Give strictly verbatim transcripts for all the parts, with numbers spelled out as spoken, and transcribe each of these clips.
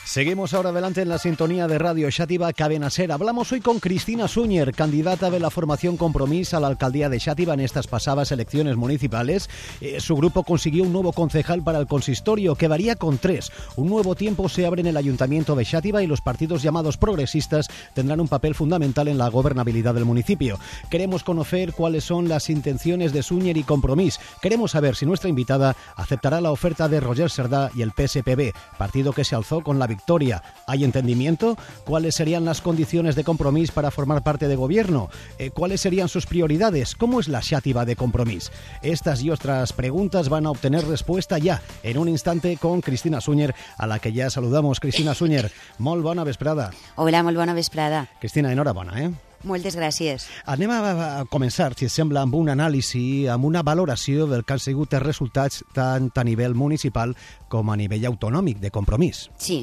Seguimos ahora adelante en la sintonía de Radio Xàtiva Cadena Ser. Hablamos hoy con Cristina Súñer, candidata de la formación Compromís a la alcaldía de Xàtiva en estas pasadas elecciones municipales. Eh, su grupo consiguió un nuevo concejal para el consistorio, quedaría con tres. Un nuevo tiempo se abre en el ayuntamiento de Xàtiva y los partidos llamados progresistas tendrán un papel fundamental en la gobernabilidad del municipio. Queremos conocer cuáles son las intenciones de Súñer y Compromís. Queremos saber si nuestra invitada aceptará la oferta de Roger Cerdà y el P S P B, partido que se alzó con la victoria. ¿Hay entendimiento? ¿Cuáles serían las condiciones de Compromís para formar parte de gobierno? Eh, ¿Cuáles serían sus prioridades? ¿Cómo es la Xàtiva de Compromís? Estas y otras preguntas van a obtener respuesta ya, en un instante, con Cristina Súñer, a la que ya saludamos. Cristina Súñer, molt bona vesprada. Hola, molt bona vesprada. Cristina, enhorabona, eh? Moltes gràcies. Anem a, a començar, si et sembla, amb un anàlisi, amb una valoració del que han sigut els resultats tant a nivell municipal com a nivell autonòmic de Compromís. Sí.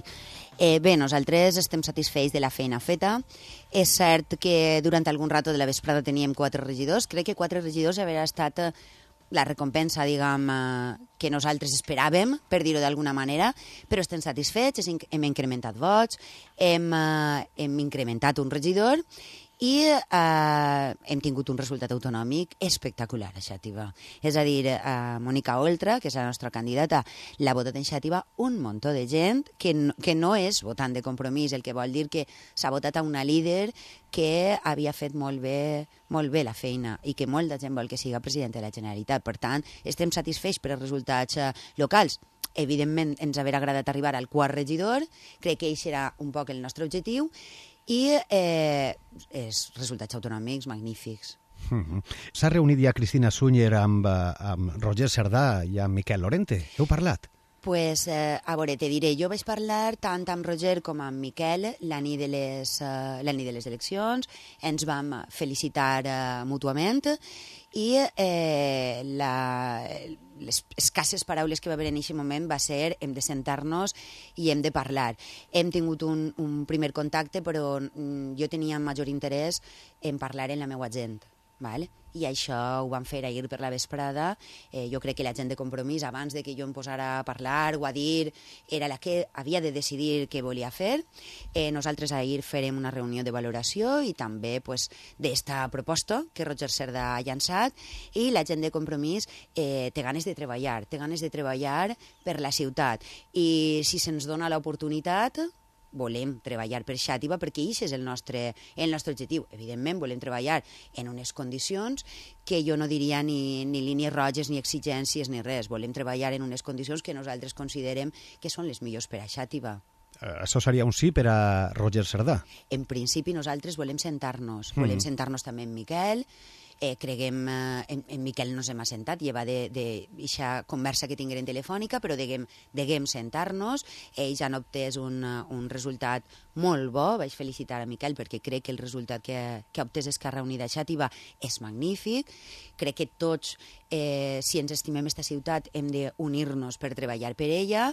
Eh, bé, nosaltres estem satisfets de la feina feta. És cert que durant algun rato de la vesprada teníem quatre regidors. Crec que quatre regidors hauria estat la recompensa, diguem, que nosaltres esperàvem, per dir-ho d'alguna manera, però estem satisfets, hem incrementat vots, hem, hem incrementat un regidor i eh, hem tingut un resultat autonòmic espectacular a Xàtiva. És a dir, eh, Mònica Oltra, que és la nostra candidata, l'ha votat en Xàtiva un muntó de gent que no, que no és votant de Compromís, el que vol dir que s'ha votat a una líder que havia fet molt bé, molt bé la feina i que molta gent vol que siga president de la Generalitat. Per tant, estem satisfets per els resultats eh, locals. Evidentment, ens hauria agradat arribar al quart regidor, crec que aquest serà un poc el nostre objectiu, i eh, els resultats autonòmics magnífics. Mm-hmm. S'ha reunit ja Cristina Súñer amb, amb Roger Cerdà i amb Miquel Lorente. Heu parlat? Pues, eh, a veure, te diré, jo vaig parlar tant amb Roger com amb Miquel la nit de les, uh, la nit de les eleccions, ens vam felicitar uh, mútuament i eh, la, les escasses paraules que va haver en aquest moment va ser hem de sentar-nos i hem de parlar. Hem tingut un, un primer contacte, però mm, jo tenia major interès en parlar amb la meva gent. Vale? I això ho vam fer ahir per la vesprada. Eh, jo crec que la gent de Compromís, abans de que jo em posara a parlar o a dir, era la que havia de decidir què volia fer. Eh, nosaltres ahir farem una reunió de valoració i també pues, d'esta proposta que Roger Cerdà ha llançat, i la gent de Compromís eh, té ganes de treballar, té ganes de treballar per la ciutat. I si se'ns dona l'oportunitat, volem treballar per Xàtiva perquè aquest és el nostre, el nostre objectiu. Evidentment, volem treballar en unes condicions que jo no diria ni, ni línies roges, ni exigències, ni res. Volem treballar en unes condicions que nosaltres considerem que són les millors per a Xàtiva. Això seria un sí per a Roger Cerdà? En principi, nosaltres volem sentar-nos. Mm. Volem sentar-nos també amb Miquel. Eh, creguem, eh, en, en Miquel no s'hem assentat, lleva d'aquesta conversa que tinguem telefònica, però deguem, deguem sentar-nos. Ells han obtès un, un resultat molt bo. Vaig felicitar a Miquel perquè crec que el resultat que, que ha obtès Esquerra Unida a Xàtiva és magnífic. Crec que tots, eh, si ens estimem esta ciutat, hem d'unir-nos per treballar per ella,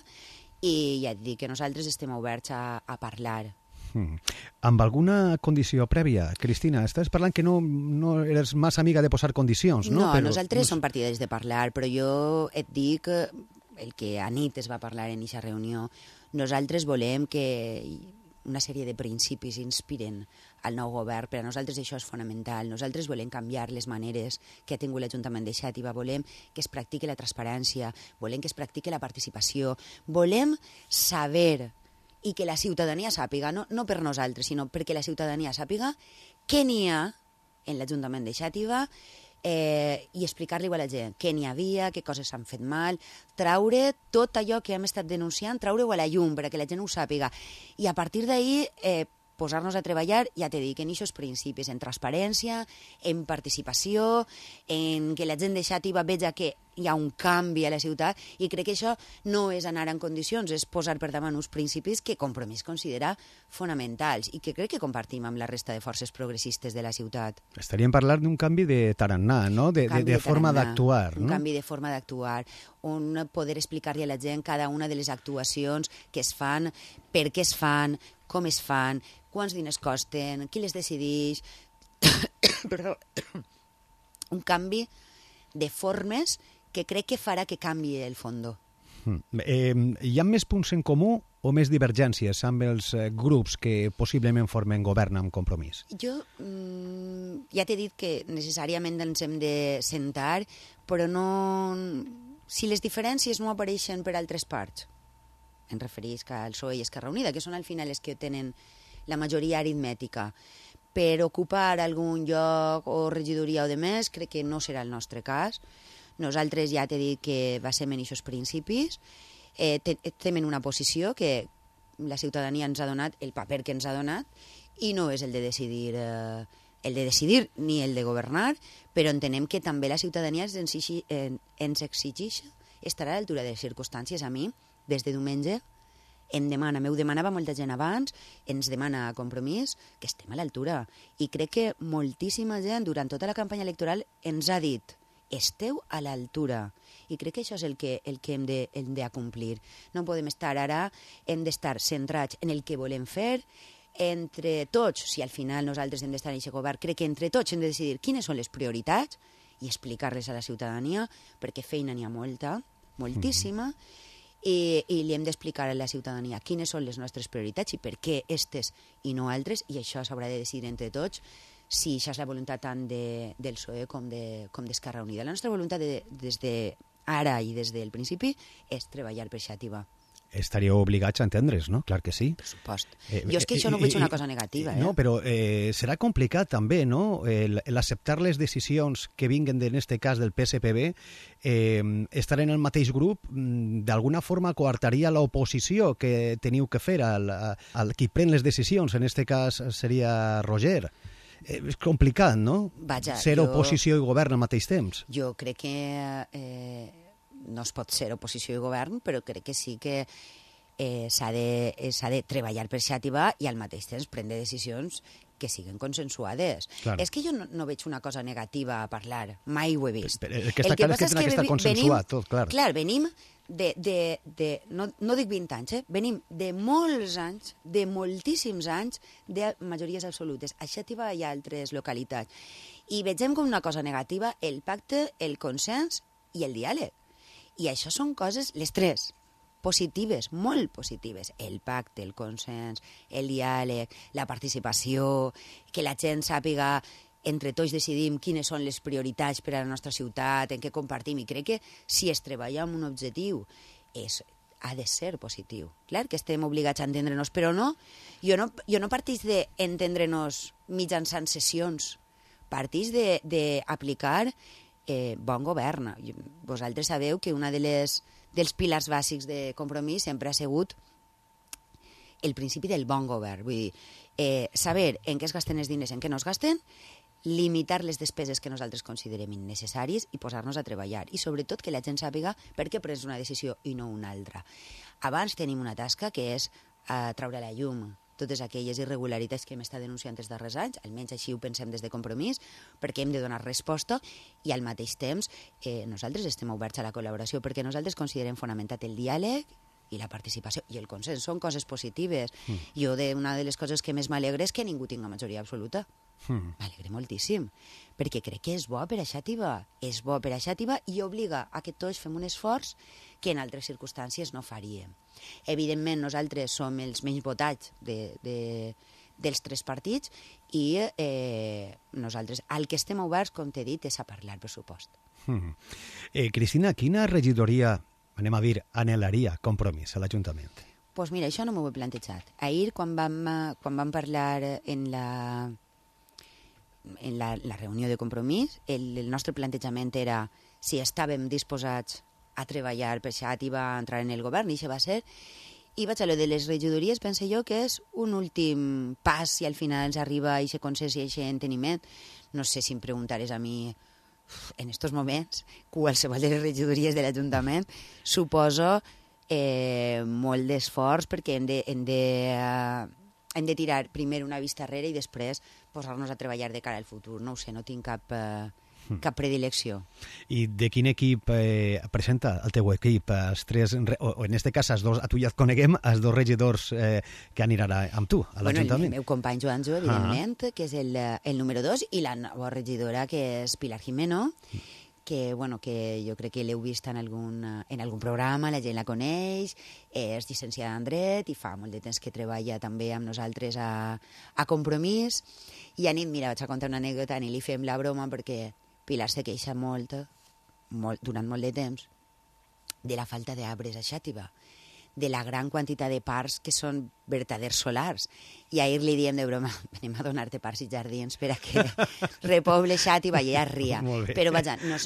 i ja et dic que nosaltres estem oberts a, a parlar. Mm. Amb alguna condició prèvia? Cristina, estàs parlant que no, no eres massa amiga de posar condicions, no? No, però, nosaltres no... som partidaris de parlar, però jo et dic el que a nit es va parlar en aquesta reunió. Nosaltres volem que una sèrie de principis inspiren al nou govern. Per a nosaltres això és fonamental. Nosaltres volem canviar les maneres que ha tingut l'Ajuntament de Xàtiva. Volem que es practiqui la transparència, volem que es practiqui la participació, volem saber i que la ciutadania sàpiga, no, no per nosaltres, sinó perquè la ciutadania sàpiga què n'hi ha en l'Ajuntament de Xàtiva eh, i explicar-li a la gent què n'hi havia, què coses s'han fet mal, traure tot allò que hem estat denunciant, traure-ho a la llum perquè la gent ho sàpiga. I a partir d'ahir eh, posar-nos a treballar, ja t'he dit, en aquests principis, en transparència, en participació, en que la gent de Xàtiva veja que hi ha un canvi a la ciutat, i crec que això no és anar en condicions, és posar per davant uns principis que Compromís considera fonamentals i que crec que compartim amb la resta de forces progressistes de la ciutat. Estaríem parlant d'un canvi de tarannà, no? De, de, de, de forma d'actuar, no? Un canvi de forma d'actuar, un poder explicar-li a la gent cada una de les actuacions que es fan, per què es fan, com es fan, quants diners costen, qui les decideix... Perdó. Un canvi de formes que crec que farà que canvi el fondo. Mm. Eh, hi ha més punts en comú o més divergències amb els eh, grups que possiblement formen govern amb Compromís? Jo mm, ja t'he dit que necessàriament ens hem de sentar, però no... Si les diferències no apareixen per altres parts, em referís que al P S O E i Esquerra Unida, que són al final els que tenen la majoria aritmètica, per ocupar algun lloc o regidoria o de més, crec que no serà el nostre cas. Nosaltres ja t'he dit que va ser en aquests principis, eh, estem en una posició que la ciutadania ens ha donat el paper que ens ha donat i no és el de decidir eh, el de decidir ni el de governar, però entenem que també la ciutadania ens exigeix, ens exigeix estar a l'altura de les circumstàncies. A mi, des de diumenge, em demana, m'ho demanava molta gent abans, ens demana Compromís que estem a l'altura. I crec que moltíssima gent durant tota la campanya electoral ens ha dit esteu a l'altura. I crec que això és el que, el que hem de, hem de acomplir. No podem estar ara, hem d'estar centrats en el que volem fer, entre tots, si al final nosaltres hem d'estar en aquest govern, crec que entre tots hem de decidir quines són les prioritats i explicar-les a la ciutadania, perquè feina n'hi ha molta, moltíssima, mm-hmm. i, i li hem d'explicar a la ciutadania quines són les nostres prioritats i per què estes i no altres, i això s'haurà de decidir entre tots, si això és la voluntat tant de, del P S O E com de, com d'Esquerra Unida. La nostra voluntat de, des de ara i des del principi és treballar per Xàtiva. Estaríeu obligats a entendre's, no? Clar que sí. Per supost. Eh, jo és que això no ho veig una cosa negativa. Eh? No, però eh, serà complicat també, no?, el, el acceptar les decisions que vinguen, en este cas, del P S P B, eh, estar en el mateix grup, d'alguna forma coartaria l'oposició que teniu que fer al, al qui pren les decisions, en este cas seria Roger. Eh, és complicat, no? Vaja, ser jo, oposició i govern al mateix temps. Jo crec que... Eh, no es pot ser oposició i govern, però crec que sí que eh, s'ha de, eh, s'ha de treballar per Xàtiva i al mateix temps prendre decisions que siguin consensuades. Claro. És que jo no, no veig una cosa negativa a parlar, mai ho he vist. Però el que està clar és que tenen que estar consensuat, tot, clar. Clar, venim de, de, de no, no dic vint anys, eh? Venim de molts anys, de moltíssims anys, de majories absolutes. A Xàtiva hi ha altres localitats. I vegem com una cosa negativa el pacte, el consens i el diàleg. I això són coses, les tres, positives, molt positives. El pacte, el consens, el diàleg, la participació, que la gent sàpiga, entre tots decidim quines són les prioritats per a la nostra ciutat, en què compartim. I crec que si es treballa amb un objectiu, és, ha de ser positiu. Clar que estem obligats a entendre-nos, però no, jo no, jo no partís d'entendre-nos mitjançant sessions, partís d'aplicar Eh, bon govern. Vosaltres sabeu que una de les, dels pilars bàsics de Compromís sempre ha sigut el principi del bon govern. Vull dir, eh, saber en què es gasten els diners, en què no es gasten, limitar les despeses que nosaltres considerem innecessàries i posar-nos a treballar. I sobretot que la gent sàpiga per què prens una decisió i no una altra. Abans tenim una tasca que és eh, treure a la llum totes aquelles irregularitats que hem estat denunciant els darrers anys, almenys així ho pensem des de Compromís, perquè hem de donar resposta i al mateix temps eh, nosaltres estem oberts a la col·laboració perquè nosaltres considerem fonamentat el diàleg i la participació i el consens. Són coses positives. Mm. Jo, de, una de les coses que més m'alegra és que ningú tinga majoria absoluta. Mm. M'alegre moltíssim, perquè crec que és bo per a Xàtiva, és bo per a Xàtiva i obliga a que tots fem un esforç que en altres circumstàncies no faríem. Evidentment, nosaltres som els menys votats de, de, dels tres partits i eh, nosaltres, al que estem oberts, com t'he dit, és a parlar pressupost. Mm. Eh, Cristina, quina regidoria, anem a dir, anhelaria Compromís a l'Ajuntament? Doncs pues mira, això no m'ho he plantejat. Ahir, quan vam, quan vam parlar en la... en la, la reunió de Compromís, el, el nostre plantejament era si estàvem disposats a treballar per Xàtiva, a entrar en el govern, i això va ser. I vaig a lo de les regidories, pense jo que és un últim pas si al final ens arriba a aquest consens i a aquest enteniment. No sé si em preguntares a mi en estos moments, qualsevol de les regidories de l'Ajuntament, suposo eh, molt d'esforç perquè hem de, hem de uh, hem de tirar primer una vista enrere i després posar-nos a treballar de cara al futur. No ho sé, no tinc cap, eh, cap predilecció. I de quin equip eh, presenta el teu equip? Els tres, o, o en este cas, els dos, a tu ja et coneguem, els dos regidors eh, que aniran amb tu a l'Ajuntament. Bueno, el meu company Joanjo, evidentment, ah. que és el, el número dos, i la nova regidora, que és Pilar Jimeno, que, bueno, que jo crec que l'heu vist en algun, en algun programa, la gent la coneix, és llicenciada en dret i fa molt de temps que treballa també amb nosaltres a, a Compromís. I a nit, mira, vaig a contar una anècdota, a nit li fem la broma perquè Pilar se queixa molt, molt durant molt de temps de la falta d'arbres a Xàtiva, de la gran quantitat de parcs que són vertaders solars. I ahir li diem de broma, venim a donar-te parcs i jardins per a que repoble Xàtiva, i ella ria. Però vaja, no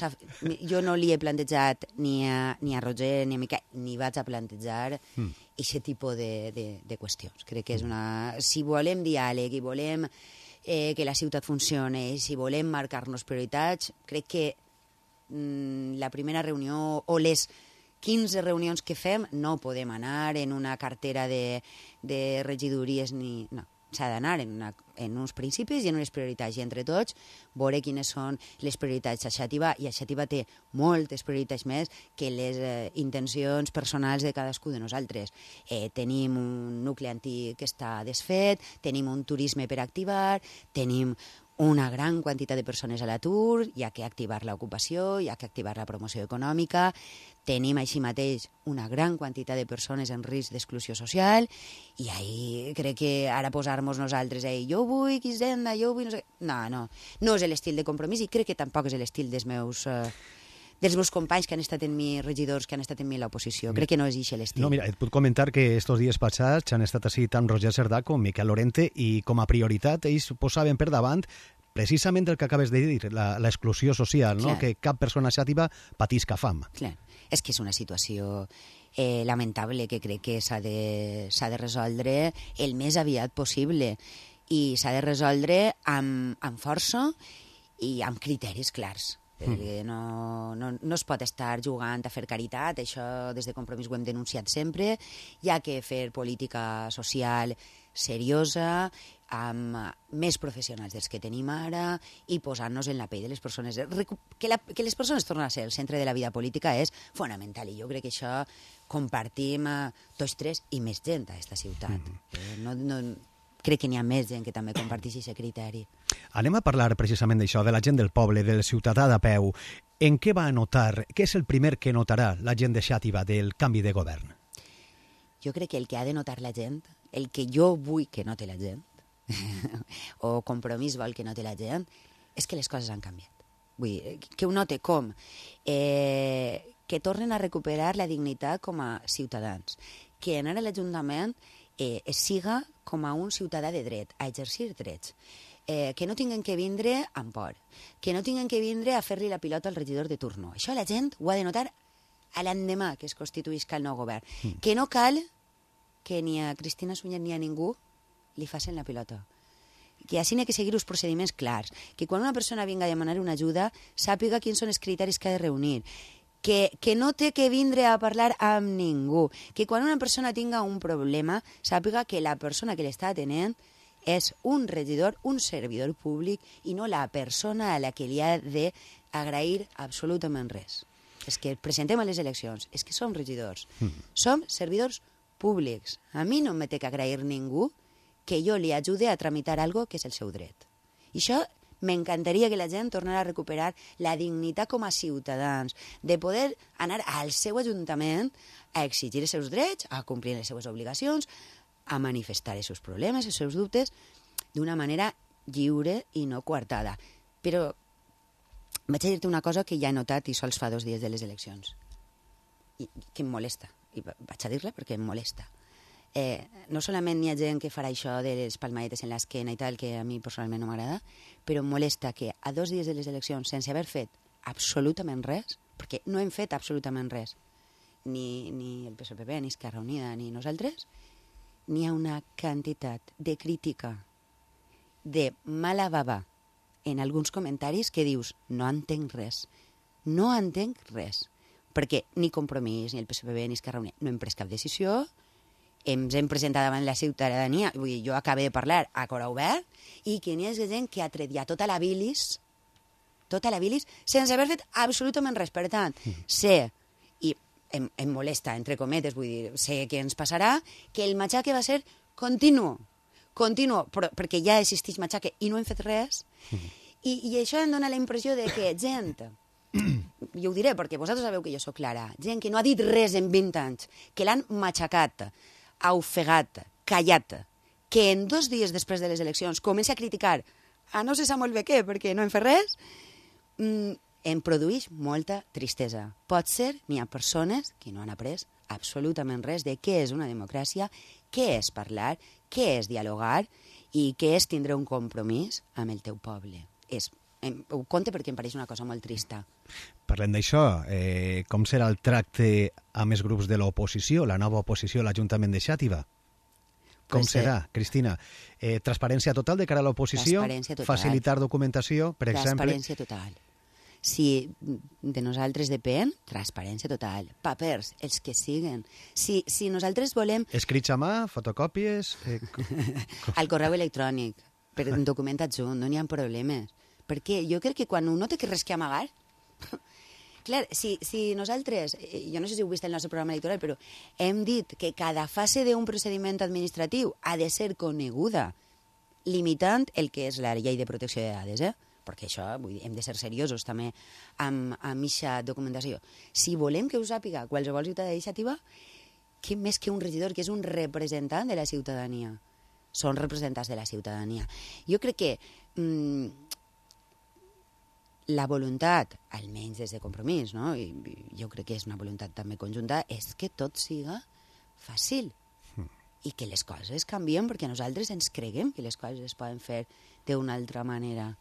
jo no li he plantejat ni a, ni a Roger ni a Miquel, ni vaig a plantejar aquest mm. tipus de, de, de qüestions. Crec que és una... Si volem diàleg i volem eh, que la ciutat funcione, i si volem marcar-nos prioritats, crec que mm, la primera reunió o les quinze reunions que fem no podem anar en una cartera de, de regidories ni... No, s'ha d'anar en, una, en uns principis i en unes prioritats, i entre tots veure quines són les prioritats a Xàtiva, i a Xàtiva té moltes prioritats més que les eh, intencions personals de cadascú de nosaltres. Eh, tenim un nucli antic que està desfet, tenim un turisme per activar, tenim una gran quantitat de persones a l'atur, hi ha que activar l'ocupació, hi ha que activar la promoció econòmica, tenim així mateix una gran quantitat de persones en risc d'exclusió social, i ahí crec que ara posar-nos nosaltres ahí, jo vull Hisenda, jo vull... No, sé... no, no, no és l'estil de Compromís, i crec que tampoc és l'estil dels meus... Eh... dels meus companys que han estat en mi, regidors que han estat en mi a l'oposició. Crec que no és aquest l'estil. No, mira, et puc comentar que estos dies passats han estat així tant Roger Cerdà com Miquel Lorente, i com a prioritat ells posaven per davant precisament el que acabes de dir, l'exclusió social, no? Que cap persona xàtiva patisca fam. Clar. És que és una situació eh, lamentable que crec que s'ha de, s'ha de resoldre el més aviat possible, i s'ha de resoldre amb, amb força i amb criteris clars. Perquè no, no, no es pot estar jugant a fer caritat, això des de Compromís ho hem denunciat sempre. Hi ha que fer política social seriosa, amb més professionals dels que tenim ara, i posar-nos en la pell de les persones. Que, la, que les persones tornen a ser el centre de la vida política és fonamental, i jo crec que això compartim tots tres i més gent a aquesta ciutat. Mm-hmm. No, no, crec que n'hi ha més gent que també comparteix aquest criteri. Anem a parlar precisament d'això, de la gent del poble, del ciutadà de peu. En què va notar, què és el primer que notarà la gent de Xàtiva del canvi de govern? Jo crec que el que ha de notar la gent, el que jo vull que note la gent, o Compromís vol que note la gent, és que les coses han canviat. Vull dir, que ho note com? Eh, que tornen a recuperar la dignitat com a ciutadans, que anar a l'Ajuntament eh, siga com a un ciutadà de dret, a exercir drets. Eh, que no tinguen que vindre amb por, que no tinguen que vindre a fer-li la pilota al regidor de turno. Això la gent ho ha de notar a l'endemà que es constituïsca el nou govern. Mm. Que no cal que ni a Cristina Sunyer ni a ningú li facin la pilota. Que així n'hi ha que seguir uns procediments clars. Que quan una persona vinga a demanar una ajuda sàpiga quins són els criteris que ha de reunir. Que, que no té que vindre a parlar amb ningú. Que quan una persona tinga un problema sàpiga que la persona que l'està atenent és un regidor, un servidor públic, i no la persona a la que li ha d'agrair absolutament res. És que presentem a les eleccions, és que som regidors, mm. som servidors públics. A mi no me té que agrair ningú que jo li ajude a tramitar algo que és el seu dret. I això m'encantaria que la gent tornara a recuperar la dignitat com a ciutadans, de poder anar al seu ajuntament a exigir els seus drets, a complir les seues obligacions, a manifestar els seus problemes, els seus dubtes, d'una manera lliure i no coartada. Però vaig a dir-te una cosa que ja he notat i sols fa dos dies de les eleccions, i que em molesta, i vaig a dir-la perquè em molesta. Eh, no solament hi ha gent que farà això de les palmadetes en l'esquena i tal, que a mi personalment no m'agrada, però em molesta que a dos dies de les eleccions, sense haver fet absolutament res, perquè no hem fet absolutament res, ni, ni el P S P B, ni Esquerra Unida, ni nosaltres, n'hi ha una quantitat de crítica, de mala bava, en alguns comentaris que dius, no entenc res, no entenc res, perquè ni Compromís, ni el P S P B, ni Esquerra Unida no hem pres cap decisió, ens hem presentat davant la ciutadania, vull dir, jo acabo de parlar a cor obert, i que n'hi ha gent que ha tret ja tota la bilis, tota la bilis, sense haver fet absolutament res. Per tant, sé, i em, em molesta, entre cometes, vull dir, sé què ens passarà, que el matxaque va ser continu, continu, però, perquè ja existeix matxaque i no hem fet res, i, i això em dona la impressió de que gent jo ho diré perquè vosaltres sabeu que jo sóc clara, gent que no ha dit res en vint anys, que l'han matxacat, ofegat, callat, que en dos dies després de les eleccions comença a criticar a no se sap molt bé què, perquè no en fa res, mm, em produeix molta tristesa. Pot ser, n'hi ha persones que no han après absolutament res de què és una democràcia, què és parlar, què és dialogar i què és tindre un compromís amb el teu poble. És, em, ho conte perquè em pareix una cosa molt trista. Parlem d'això. Eh, com serà el tracte amb els grups de l'oposició, la nova oposició a l'Ajuntament de Xàtiva? Com Pues, serà, Cristina? Eh, transparència total de cara a l'oposició? Transparència total. Facilitar documentació, per exemple? Transparència total. Si de nosaltres depèn, transparència total. Papers, els que siguen. Si, si nosaltres volem... Escrits a mà, fotocòpies... Eh... Al correu electrònic, per un document adjunt, no n'hi ha problemes. Perquè jo crec que quan un no té res que amagar... Clar, si, si nosaltres, jo no sé si heu vist el nostre programa electoral, però hem dit que cada fase d'un procediment administratiu ha de ser coneguda, limitant el que és la llei de protecció de dades, eh? Perquè això, vull dir, hem de ser seriosos també amb aquesta documentació. Si volem que ho sàpiga qualsevol ciutadà d'iniciativa, què més que un regidor, que és un representant de la ciutadania. Són representants de la ciutadania. Jo crec que mmm, la voluntat, almenys des de Compromís, no? I jo crec que és una voluntat també conjunta, és que tot siga fàcil i que les coses canvien perquè nosaltres ens creguem que les coses es poden fer d'una altra manera.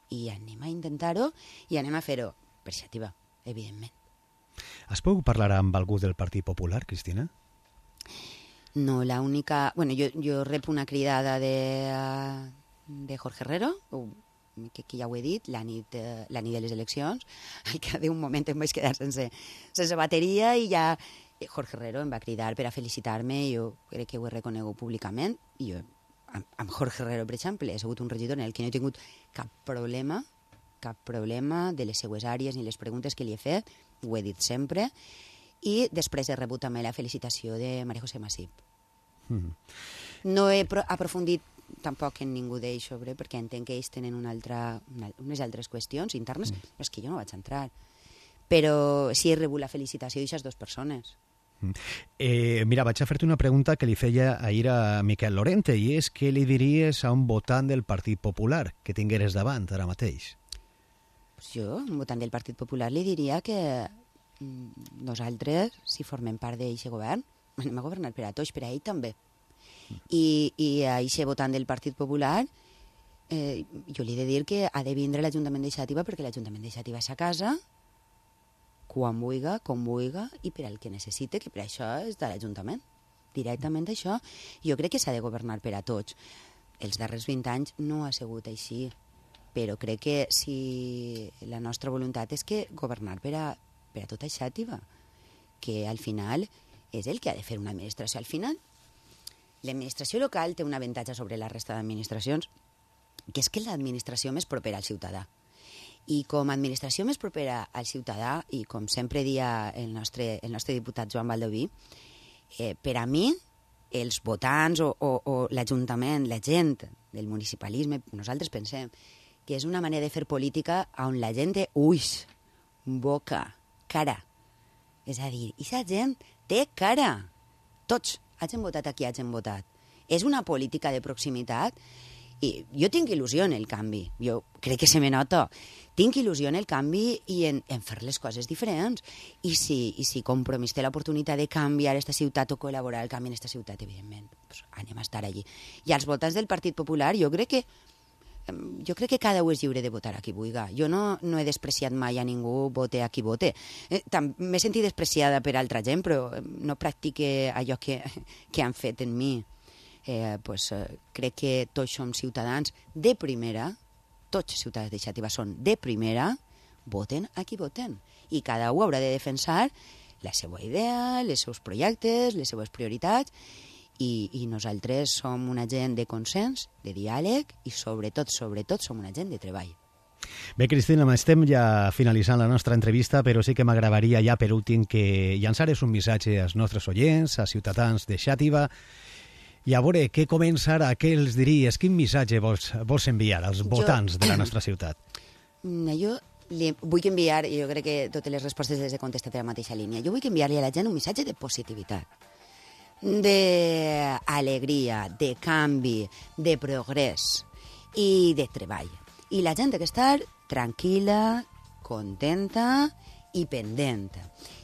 I anem a intentar-ho i anem a fer-ho per Xàtiva, evidentment. Has pogut parlar amb algú del Partit Popular, Cristina? No, la única... Bueno, jo, jo rep una cridada de, de Jorge Herrero, que, que ja ho he dit, la nit, la nit de les eleccions, al que d'un moment em vaig quedar sense, sense bateria i ja Jorge Herrero em va cridar per a felicitar-me, jo crec que ho he reconegut públicament, i jo amb Jorge Herrero, per exemple, he sigut un regidor en el que no he tingut cap problema, cap problema de les seues àrees ni les preguntes que li he fet, ho he dit sempre, i després he rebut també la felicitació de María José Masip. Mm. No he aprofundit tampoc en ningú d'ells sobre, perquè entenc que ells tenen una altra, una, unes altres qüestions internes, mm. però és que jo no vaig entrar. Però sí he rebut la felicitació d'aquestes dues persones. Eh, mira, vaig a fer-te una pregunta que li feia ahir a Miquel Lorente, i és què li diries a un votant del Partit Popular que tingueres davant ara mateix? Pues jo, un votant del Partit Popular, li diria que nosaltres, si formem part d'aquest govern, anem a governar per a tots, per a ell també. I, i a aquest votant del Partit Popular eh, jo li he de dir que ha de vindre l'Ajuntament de Xàtiva perquè l'Ajuntament de Xàtiva és a casa, quan vulga, com vulga, i per al que necessite, que per això és de l'Ajuntament. Directament això. Jo crec que s'ha de governar per a tots. Els darrers vint anys no ha sigut així, però crec que si la nostra voluntat és que governar per a, per a tota Xàtiva, que al final és el que ha de fer una administració. Al final, l'administració local té un avantatge sobre la resta d'administracions, que és que és l'administració més propera al ciutadà. I com a administració més propera al ciutadà, i com sempre dia el nostre, el nostre diputat Joan Baldoví, eh, per a mi, els votants o, o, o l'Ajuntament, la gent del municipalisme, nosaltres pensem que és una manera de fer política on la gent té ulls, boca, cara. És a dir, aquesta gent té cara. Tots hagin votat a qui hagin votat. És una política de proximitat. I jo tinc il·lusió en el canvi, jo crec que se me nota. Tinc il·lusió en el canvi i en, en fer les coses diferents. I si, i si Compromís té l'oportunitat de canviar aquesta ciutat o col·laborar al canvi en aquesta ciutat, evidentment, pues anem a estar allí. I als votants del Partit Popular, jo crec que jo crec que cada un és lliure de votar a qui vulga. Jo no, no he despreciat mai a ningú, vote a qui vote. Eh, M'he sentit despreciada per altra gent, però no practique allò que, que han fet en mi. Eh, pues, eh, crec que tots som ciutadans de primera, tots els ciutadans de Xàtiva són de primera, voten a qui voten. I cada un haurà de defensar la seva idea, els seus projectes, les seves prioritats, i, i nosaltres som una gent de consens, de diàleg, i sobretot, sobretot, som una gent de treball. Bé, Cristina, estem ja finalitzant la nostra entrevista, però sí que m'agradaria ja per últim que llançares un missatge als nostres oients, als ciutadans de Xàtiva. I a veure, què comença ara? Què els diries? Quin missatge vols, vols enviar als votants jo, de la nostra ciutat? Jo li vull enviar, i jo crec que totes les respostes les he contestat en la mateixa línia, jo vull enviar-li a la gent un missatge de positivitat, d'alegria, de canvi, de progrés i de treball. I la gent ha d'estar tranquil·la, contenta i pendent.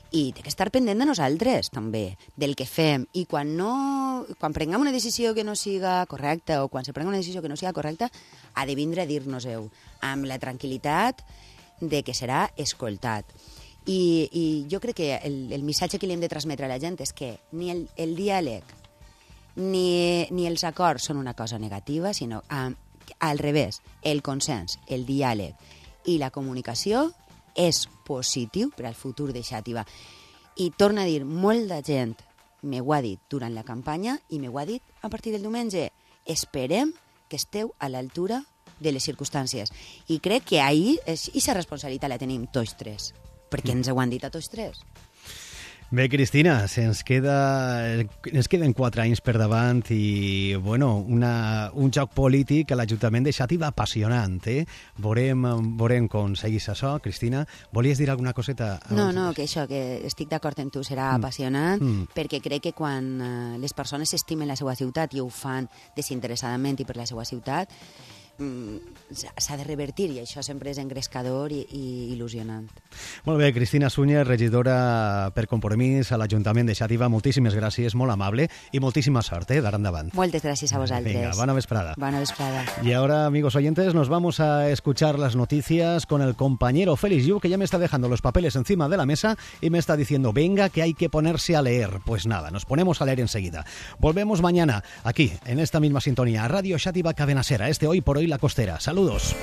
I té que estar pendent de nosaltres, també, del que fem. I quan no, quan prenguem una decisió que no siga correcta o quan se prenga una decisió que no siga correcta, ha de vindre a dir-nos-ho amb la tranquil·litat de que serà escoltat. I, i jo crec que el, el missatge que li hem de transmetre a la gent és que ni el, el diàleg ni, ni els acords són una cosa negativa, sinó a, al revés, el consens, el diàleg i la comunicació és positiu per al futur de Xàtiva. I torna a dir, molta gent m'ho ha dit durant la campanya i m'ho ha dit a partir del diumenge. Esperem que esteu a l'altura de les circumstàncies. I crec que ahir aquesta responsabilitat la tenim tots tres, perquè ens ho han dit a tots tres. Bé, Cristina, se'ns queda, ens queden quatre anys per davant i, bueno, una, un joc polític a l'Ajuntament de Xàtiva apassionant, eh? Veurem, veurem com seguís això. Cristina, volies dir alguna coseta? No, no, que això, que estic d'acord amb tu, serà mm. apassionant, mm. perquè crec que quan uh, les persones estimen la seva ciutat i ho fan desinteressadament i per la seva ciutat, s'ha de revertir i això sempre és engrescador i, i il·lusionant. Molt bé, Cristina Sunyer, regidora per Compromís a l'Ajuntament de Xàtiva, moltíssimes gràcies, molt amable i moltíssima sort, eh, d'ara endavant. Moltes gràcies a vosaltres. Venga, buena vesprada. Buena vesprada. Y ahora, amigos oyentes, nos vamos a escuchar las noticias con el compañero Félix Yu, que ya me está dejando los papeles encima de la mesa y me está diciendo, venga, que hay que ponerse a leer. Pues nada, nos ponemos a leer enseguida. Volvemos mañana, aquí, en esta misma sintonía, a Radio Xàtiva Cadena Ser, este Hoy por Hoy La Costera. Saludos.